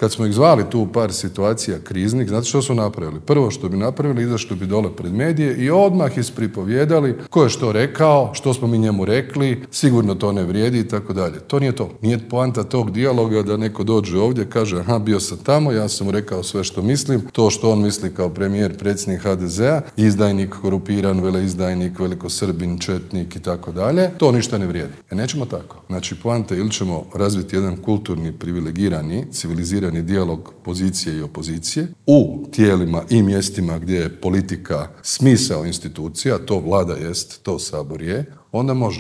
Kad smo ih zvali tu u par situacija kriznih, znate što su napravili? Prvo što bi napravili, izašli bi dole pred medije i odmah ispripovjedali ko je što rekao, što smo mi njemu rekli, sigurno to ne vrijedi i tako dalje. To nije to. Nije poanta tog dijaloga da neko dođe ovdje, kaže aha, bio sam tamo, ja sam mu rekao sve što mislim, to što on misli kao premijer, predsjednik HDZ-a, izdajnik, korupiran, veleizdajnik, velikosrbin, četnik i tako dalje, to ništa ne vrijedi. Nećemo tako. Znači, poanta ili ćemo razviti jedan kulturni, privilegirani, civilizirani dijalog pozicije i opozicije u tijelima i mjestima gdje je politika smisao institucija, to Vlada jest, to Sabor je, onda može.